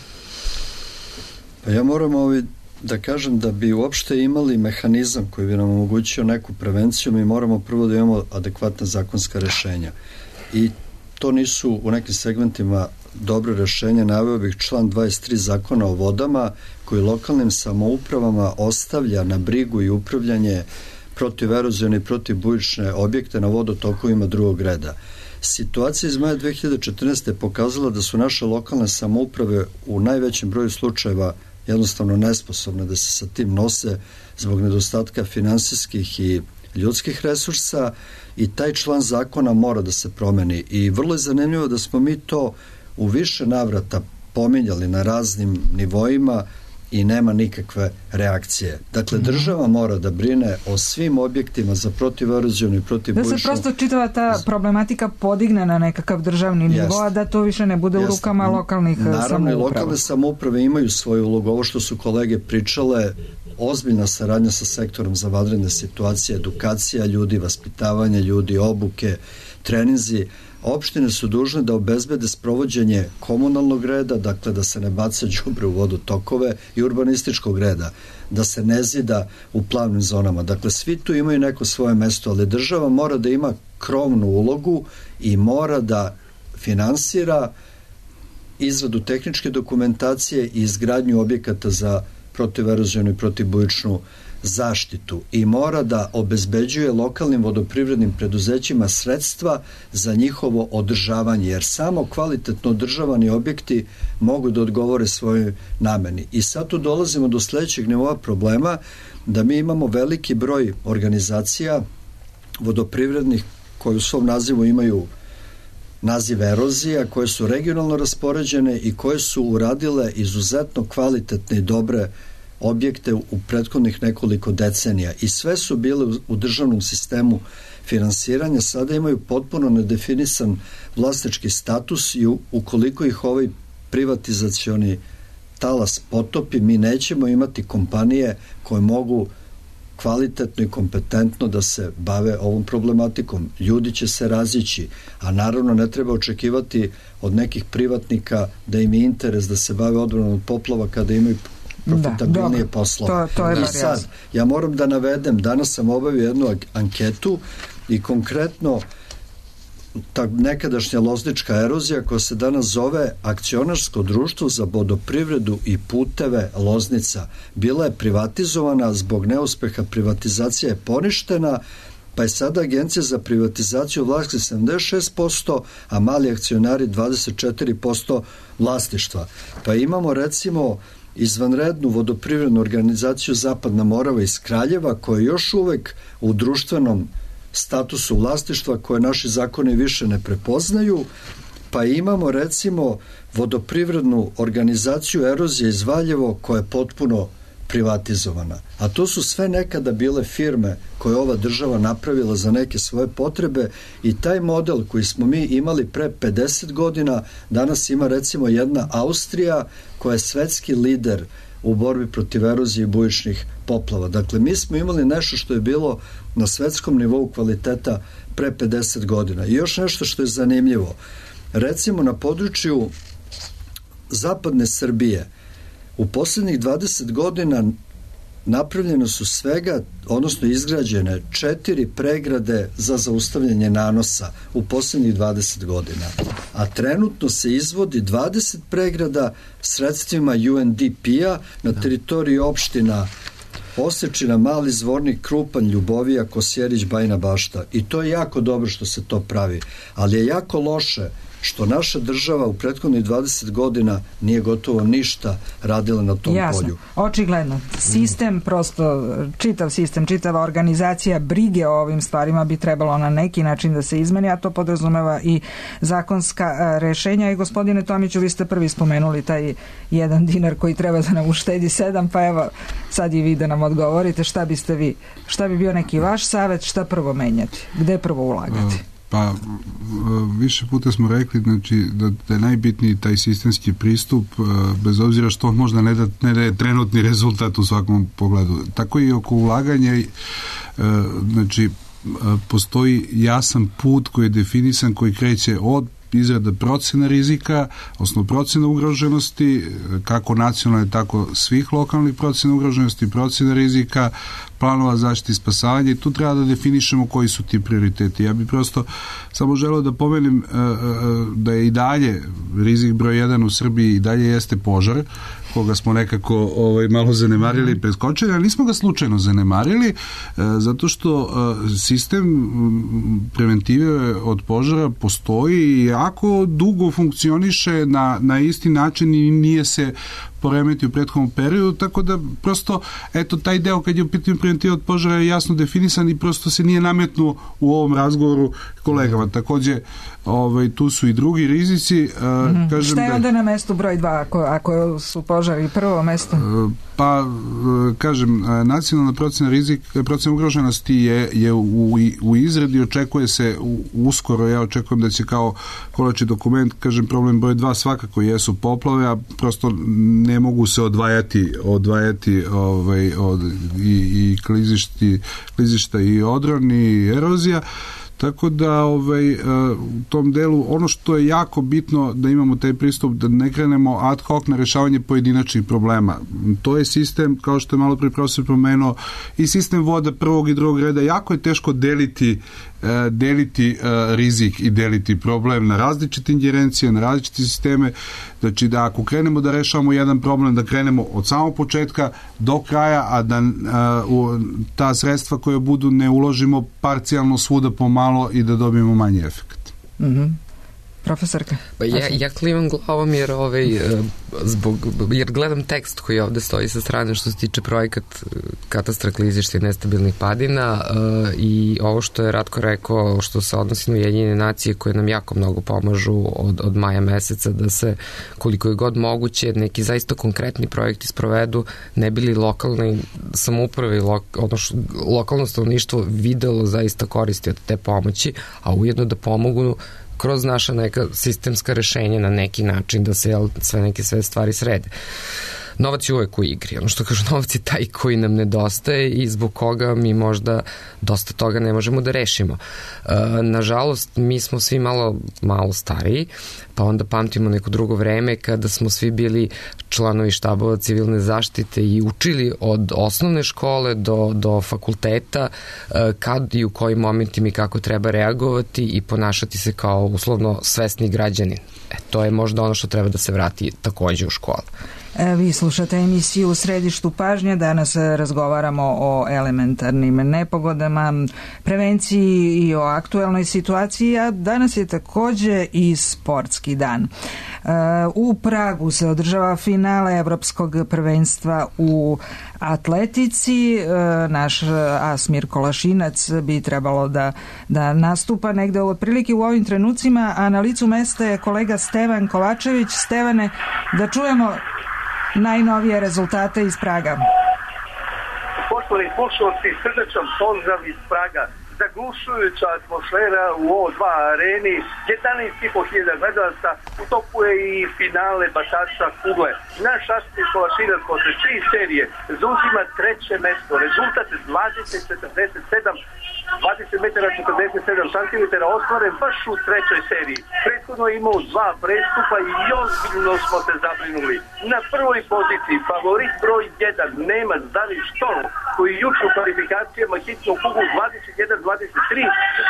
Pa ja moram da kažem da bi uopšte imali mehanizam koji bi nam omogućio neku prevenciju, mi moramo prvo da imamo adekvatna zakonska rešenja. I to nisu u nekim segmentima dobre rešenja. Naveo bih član 23 Zakona o vodama koji lokalnim samoupravama ostavlja na brigu i upravljanje protiverozione i protivbujične objekte na vodotokovima drugog reda. Situacija iz maja 2014. je pokazala da su naše lokalne samouprave u najvećem broju slučajeva jednostavno nesposobne da se sa tim nose zbog nedostatka finansijskih i ljudskih resursa i taj član zakona mora da se promeni. I vrlo je zanimljivo da smo mi to u više navrata pominjali na raznim nivoima i nema nikakve reakcije. Dakle, država mora da brine o svim objektima za protiverozionu i protivbujičnu.
Da se prosto čitava ta problematika podigne na nekakav državni nivo, a da to više ne bude u rukama lokalnih samouprava.
Naravno, i lokalne samouprave imaju svoju ulogu. Ovo što su kolege pričale, ozbiljna saradnja sa sektorom za vanredne situacije, edukacija ljudi, vaspitavanje ljudi, obuke, treninzi. Opštine su dužne da obezbede sprovođenje komunalnog reda, dakle da se ne baca đubre u vodotokove, i urbanističkog reda, da se ne zida u plavnim zonama. Dakle, svi tu imaju neko svoje mesto, ali država mora da ima krovnu ulogu i mora da finansira izradu tehničke dokumentacije i izgradnju objekata za protiverozionu i protivbujičnu zaštitu i mora da obezbeđuje lokalnim vodoprivrednim preduzećima sredstva za njihovo održavanje, jer samo kvalitetno održavani objekti mogu da odgovore svojoj nameni. I sad tu dolazimo do sledećeg nivoa problema, da mi imamo veliki broj organizacija vodoprivrednih koje u svom nazivu imaju naziv erozija, koje su regionalno raspoređene i koje su uradile izuzetno kvalitetne i dobre objekte u prethodnih nekoliko decenija i sve su bile u državnom sistemu finansiranja, sada imaju potpuno nedefinisan vlasnički status i ukoliko ih ovaj privatizacioni talas potopi, mi nećemo imati kompanije koje mogu kvalitetno i kompetentno da se bave ovom problematikom. Ljudi će se razići, a naravno ne treba očekivati od nekih privatnika da im je interes da se bave odbranom od poplava kada imaju najprofitabilnije poslove.
To je
I sad, ja moram da navedem, danas sam obavio jednu anketu i konkretno ta nekadašnja loznička erozija koja se danas zove Akcionarsko društvo za vodoprivredu i puteve Loznica bila je privatizovana, zbog neuspeha privatizacija je poništena, pa je sada Agencija za privatizaciju vlasništva 76%, a mali akcionari 24% vlasništva. Pa imamo recimo izvanrednu vodoprivrednu organizaciju Zapadna Morava iz Kraljeva koja je još uvek u društvenom statusu vlasništva koje naši zakoni više ne prepoznaju, pa imamo recimo vodoprivrednu organizaciju Erozija iz Valjevo koja je potpuno privatizovana. A to su sve nekada bile firme koje ova država napravila za neke svoje potrebe i taj model koji smo mi imali pre 50 godina, danas ima recimo jedna Austrija koja je svetski lider u borbi protiv erozije i bujičnih poplava. Dakle, mi smo imali nešto što je bilo na svetskom nivou kvaliteta pre 50 godina. I još nešto što je zanimljivo. Recimo, na području zapadne Srbije u poslednjih 20 godina napravljeno su svega, odnosno izgrađene 4 pregrade za zaustavljanje nanosa u poslednjih 20 godina. A trenutno se izvodi 20 pregrada sredstvima UNDP-a na teritoriji opština Osečina, Mali Zvornik, Krupanj, Ljubovija, Kosjerić, Bajina Bašta. I to je jako dobro što se to pravi. Ali je jako loše što naša država u prethodnih 20 godina nije gotovo ništa radila na tom polju.
Očigledno. Sistem, prosto čitav sistem, čitava organizacija brige o ovim stvarima bi trebalo na neki način da se izmeni, a to podrazumeva i zakonska rešenja. I gospodine Tomiću, vi ste prvi spomenuli taj 1 dinar koji treba da nam uštedi 7, pa evo sad i vi da nam odgovorite šta bi bio neki vaš savet, šta prvo menjati, gde prvo ulagati?
Pa više puta smo rekli, znači, da je najbitniji taj sistemski pristup, bez obzira što on možda ne daje trenutni rezultat u svakom pogledu. Tako i oko ulaganja, znači postoji jasan put koji je definisan, koji kreće od izrada procena rizika, osnovno procena ugroženosti, kako nacionalne, tako svih lokalnih procena ugroženosti, procena rizika, planova zaštite i spasavanja, i tu treba da definišemo koji su ti prioriteti. Ja bih prosto samo želeo da pomenem da je i dalje rizik broj 1 u Srbiji i dalje jeste požar, koga smo nekako malo zanemarili i preskočili, ali nismo ga slučajno zanemarili, zato što sistem preventive od požara postoji i jako dugo funkcioniše na isti način i nije se poremeti u prethodnom periodu, tako da prosto, eto, taj deo kad je u pitanju preventiva od požara je jasno definisan i prosto se nije nametnuo u ovom razgovoru kolegama. Takođe, tu su i drugi rizici. Kažem,
šta je onda na mestu broj 2 ako su požari prvo mesto?
Pa, kažem, nacionalna procena rizika, procena ugroženosti je u izradi, očekuje se uskoro, ja očekujem da će kao konačni dokument, kažem, problem broj 2 svakako jesu poplave, a prosto ne mogu se odvajati i klizišta i odron i erozija. Tako da u tom delu ono što je jako bitno da imamo taj pristup, da ne krenemo ad hoc na rešavanje pojedinačnih problema. To je sistem, kao što je malo pre profesor pomenuo, i sistem voda prvog i drugog reda. Jako je teško deliti rizik i deliti problem na različite ingerencije, na različite sisteme. Znači da ako krenemo da rešavamo jedan problem, da krenemo od samog početka do kraja, a da ta sredstva koje budu ne uložimo parcijalno svuda pomalo i da dobijemo manji efekt.
Profesorka?
Pa ja klimam glavom jer gledam tekst koji ovde stoji sa strane što se tiče projekat katastra klizišta i nestabilnih padina i ovo što je Ratko rekao što se odnosi na Ujedinjene nacije koje nam jako mnogo pomažu od maja meseca da se koliko je god moguće neki zaista konkretni projekti sprovedu, ne bili lokalne samouprave i lokalno stanovništvo videlo zaista koristi od te pomoći, a ujedno da pomogu kroz naša neka sistemska rešenja na neki način da se sve stvari srede. novac je uvek u igri. Ono što kažu, novac je taj koji nam nedostaje i zbog koga mi možda dosta toga ne možemo da rešimo. Nažalost, mi smo svi malo stariji, pa onda pamtimo neko drugo vreme kada smo svi bili članovi štabova civilne zaštite i učili od osnovne škole do fakulteta kad i u kojim momentima i kako treba reagovati i ponašati se kao uslovno svesni građanin. To je možda ono što treba da se vrati takođe u školu.
Vi slušate emisiju U središtu pažnje. Danas razgovaramo o elementarnim nepogodama, prevenciji i o aktuelnoj situaciji, a danas je takođe i sportski dan. U Pragu se održava finale Evropskog prvenstva u atletici. Naš Asmir Kolašinac bi trebalo da nastupa negde otprilike u ovim trenucima, a na licu mesta je kolega Stevan Kovačević. Stevane, da čujemo najnovije rezultate iz Praga.
Poštovani slušalci, srdečan pozdrav iz Praga. Zaglušujuća atmosfera u O2 areni, 11.500 gledalaca, u toku je i finale batača kugle. Naš Asmir Kolašinac posle 3 serije zauzima 3. mesto. Rezultat 20 metara 47 cm ostvaren baš u 3. seriji. Prethodno je imao 2 prestupa i ozbiljno smo se zabrinuli. Na prvoj poziciji favorit broj 1 Nemac David Storm, koji juče u kvalifikacijama hitno kugu 21-23,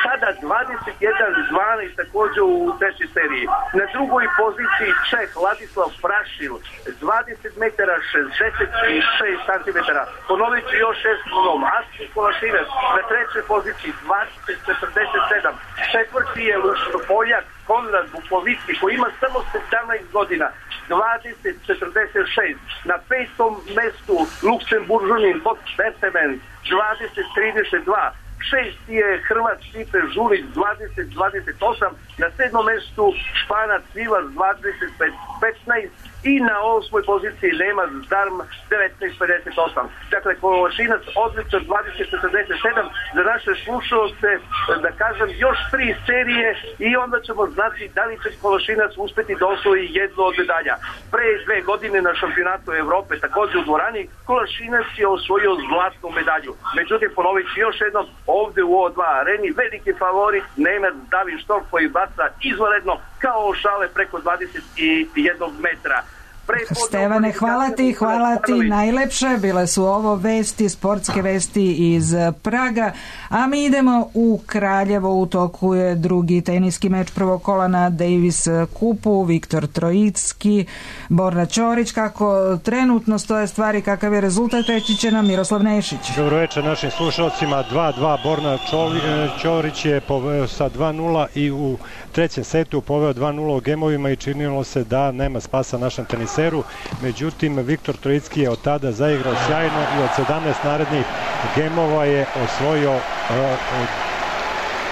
sada 21-12 također u 3. seriji. Na drugoj poziciji Čeh Ladislav Prašil, 20 metara 66 cm. Ponovit ću još 6 Asmir Kolašinac na 3. poziciji 20-47. 4. je Poljak Konrad Bukovicki, koji ima samo 17 godina, 20-46. Na 5. mestu Luksemburžanin Bot Betemen, 20-32. 6. je Hrvat Stipe Žulić, 20-28. Na 7. mestu Španac Vilas, 25-15. I na 8. poziciji Nemac Darm, 19-58. Dakle, Kolašinac odličan 20-47. Za naše slušalce, da kažem, još 3 serije i onda ćemo znati da li će Kolašinac uspeti da osvoji jedno od medalja. Pre 2 godine na šampionatu Evrope, također u dvorani, Kolašinac je osvojio zlatnu medalju. Međutim, ponovit ću još jednom, ovde u O2 areni veliki favorit Nemac David Storm, koji baca izvanredno kao šale preko 21 metra.
Stevane, hvala ti najlepše. Bile su ovo vesti, sportske vesti iz Praga, a mi idemo u Kraljevo. U toku je drugi teniski meč prvog kola na Davis kupu. Viktor Trojicki, Borna Ćorić. Kako trenutno stoje stvari, kakav je rezultat, reći će nam Miroslav Nešić.
Dobro večer našim slušalcima. 2-2 Borna Ćorić je poveo sa 2-0 i u 3. setu poveo 2-0 u gemovima i činilo se da nema spasa našem teniseru. Međutim, Viktor Trojicki je od tada zaigrao sjajno i od 17 narednih gemova je osvojio,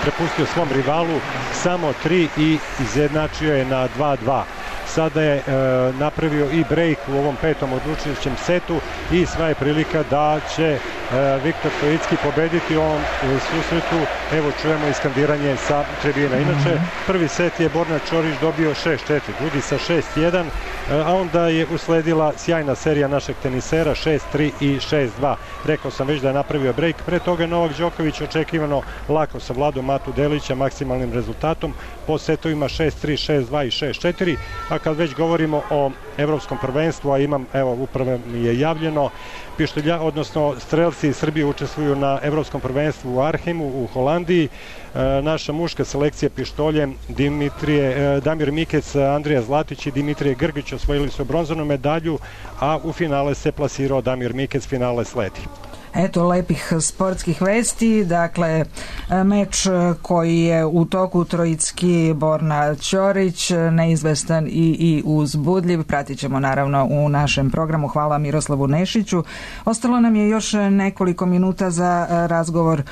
prepustio svom rivalu samo 3 i izjednačio je na 2-2. Sada je napravio i break u ovom 5. odlučujućem setu i sva je prilika da će Viktor Trojicki pobediti u ovom susretu. Evo čujemo iskandiranje sa tribina. Inače, prvi set je Borna Ćorić dobio 6-4, drugi sa 6-1, a onda je usledila sjajna serija našeg tenisera 6-3 i 6-2. Rekao sam već da je napravio break. Pre toga Novak Đoković očekivano lako savladao Matu Delića maksimalnim rezultatom po setovima 6-3, 6-2 i 6-4. A kad već govorimo o evropskom prvenstvu, a imam, evo upravo mi je javljeno, pištolja, odnosno strelci iz Srbije učestvuju na evropskom prvenstvu u Arhemu u Holandiji. Naša muška selekcija pištoljem Damir Mikec, Andrija Zlatić i Dimitrije Grgić osvojili su bronzanu medalju, a u finale se plasirao Damir Mikec, finale sledi.
Eto lepih sportskih vesti. Dakle, meč koji je u toku Trojicki Borna Ćorić, neizvestan i uzbudljiv, pratit ćemo naravno u našem programu. Hvala Miroslavu Nešiću. Ostalo nam je još nekoliko minuta za razgovor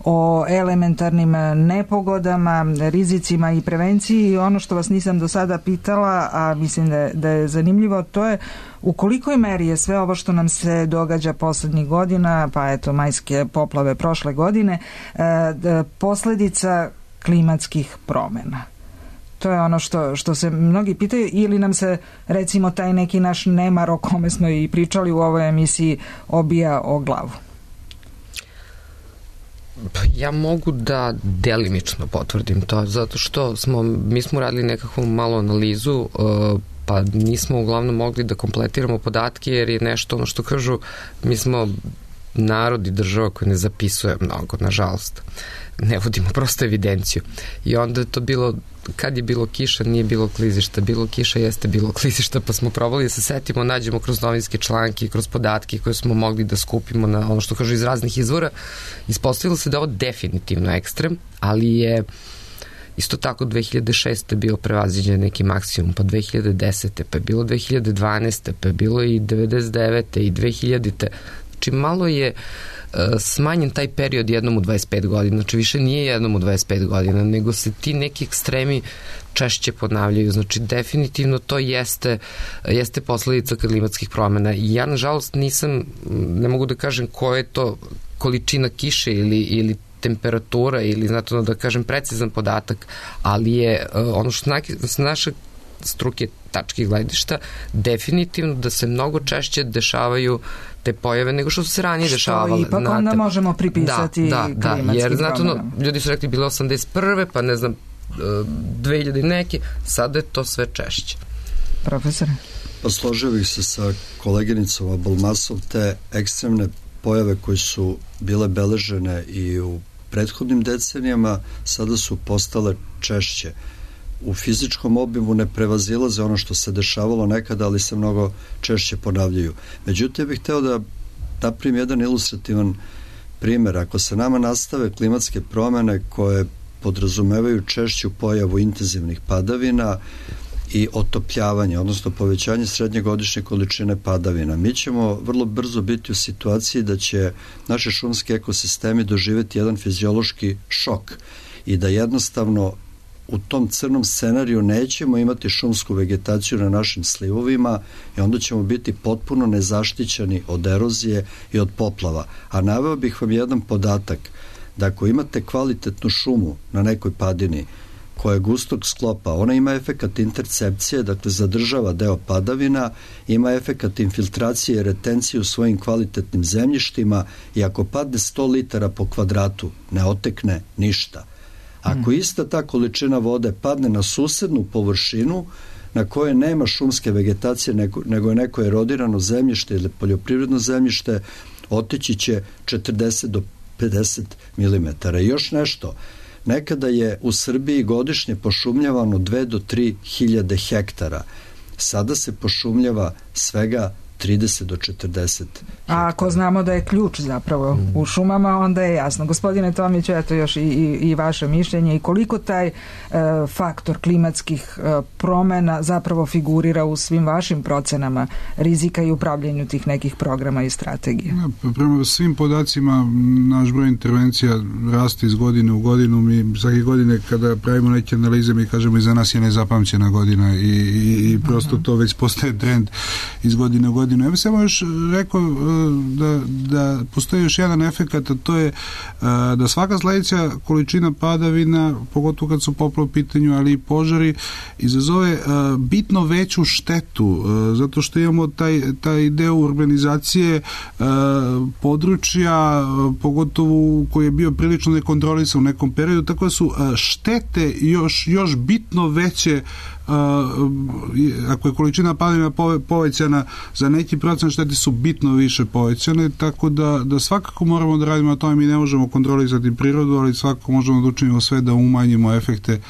o elementarnim nepogodama, rizicima i prevenciji. I ono što vas nisam do sada pitala, a mislim da je zanimljivo, to je u kolikoj meri je sve ovo što nam se događa poslednjih godina, pa eto majske poplave prošle godine, posledica klimatskih promena. To je ono što se mnogi pitaju, ili nam se recimo taj neki naš nemar o kome smo i pričali u ovoj emisiji obija o glavu.
Ja mogu da delimično potvrdim to, zato što mi smo radili nekakvu malu analizu, pa nismo uglavnom mogli da kompletiramo podatke, jer je nešto, ono što kažu, mi smo narod i država koja ne zapisuje mnogo, nažalost. Ne vodimo prosto evidenciju. I onda je to bilo, kad je bilo kiša, nije bilo klizišta, bilo kiša, jeste bilo klizišta, pa smo probali da se setimo, nađemo kroz novinske članke, kroz podatke koje smo mogli da skupimo na ono što kažu iz raznih izvora. Ispostavilo se da je ovo definitivno ekstrem, ali je isto tako 2006. bio prevaziđen neki maksimum, pa 2010. pa je bilo 2012. pa je bilo i 99. i 2000. Znači malo je smanjen taj period jednom u 25 godina, znači više nije jednom u 25 godina, nego se ti neki ekstremi češće ponavljaju, znači definitivno to jeste posledica klimatskih promjena i ja nažalost ne mogu da kažem koja je to količina kiše ili temperatura ili znate da kažem precizan podatak, ali je ono što s naše struke tačke gledišta definitivno da se mnogo češće dešavaju te pojave nego što su se ranije dešavale.
Što ipak onda možemo pripisati klimatskim promjenama.
Jer ljudi su rekli bilo 81. pa ne znam 2000 neke, sada je to sve češće.
Profesor?
Pa složio bih se sa koleginicom Abalmasov, te ekstremne pojave koje su bile beležene i u prethodnim decenijama sada su postale češće. U fizičkom obimu ne prevazilaze ono što se dešavalo nekada, ali se mnogo češće ponavljaju. Međutim, ja bih hteo da napravim jedan ilustrativan primjer. Ako se nama nastave klimatske promjene koje podrazumevaju češću pojavu intenzivnih padavina i otopljavanje, odnosno povećanje srednjegodišnje količine padavina, mi ćemo vrlo brzo biti u situaciji da će naši šumski ekosistemi doživjeti jedan fiziološki šok i da jednostavno u tom crnom scenariju nećemo imati šumsku vegetaciju na našim slivovima i onda ćemo biti potpuno nezaštićeni od erozije i od poplava. A naveo bih vam jedan podatak, da ako imate kvalitetnu šumu na nekoj padini koja je gustog sklopa, ona ima efekat intercepcije, dakle zadržava deo padavina, ima efekat infiltracije i retencije u svojim kvalitetnim zemljištima i ako padne 100 litara po kvadratu, ne otekne ništa. Ako ista ta količina vode padne na susednu površinu na kojoj nema šumske vegetacije nego je neko erodirano zemljište ili poljoprivredno zemljište, otići će 40 do 50 mm. I još nešto, nekada je u Srbiji godišnje pošumljavano 2 do 3 hiljade hektara. Sada se pošumljava svega 30 do 40.
A ako znamo da je ključ zapravo u šumama, onda je jasno. Gospodine Tomiću, eto još i vaše mišljenje i koliko taj faktor klimatskih promjena zapravo figurira u svim vašim procenama rizika i upravljanju tih nekih programa i strategije.
Prema svim podacima naš broj intervencija raste iz godine u godinu. Mi svake godine kada pravimo neke analize mi kažemo iza nas je nezapamćena godina i prosto to već postaje trend iz godine u godinu. Ja bih samo još rekao da postoji još jedan efekat, a to je da svaka sledeća količina padavina, pogotovo kad su poplave u pitanju, ali i požari, izazove bitno veću štetu, zato što imamo taj deo urbanizacije područja, pogotovo koji je bio prilično nekontrolisan u nekom periodu, tako da su štete još bitno veće ako je količina padavina povećana za neki procent, štete su bitno više povećane, tako da svakako moramo da radimo na tome. Mi ne možemo kontrolisati prirodu, ali svakako možemo da učinimo sve da umanjimo efekte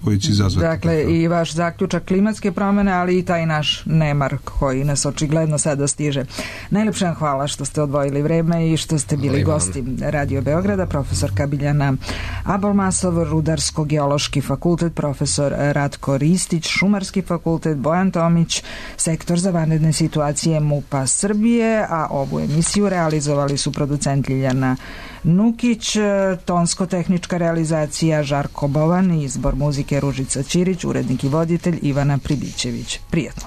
koji će izazvati.
Dakle, i vaš zaključak klimatske promjene, ali i taj naš nemar koji nas očigledno sada stiže. Najlepše vam hvala što ste odvojili vreme i što ste bili gosti Radio Beograda. Profesorka Biljana Abalmasov, Rudarsko-geološki fakultet, profesor Ratko Ristić, Šumarski fakultet, Bojan Tomić, sektor za vanredne situacije MUP-a Srbije, a ovu emisiju realizovali su producent Ljiljana Nukić, tonsko-tehnička realizacija Žarko Bovan, izbor muzike Ružica Ćirić, urednik i voditelj Ivana Pribićević. Prijetno.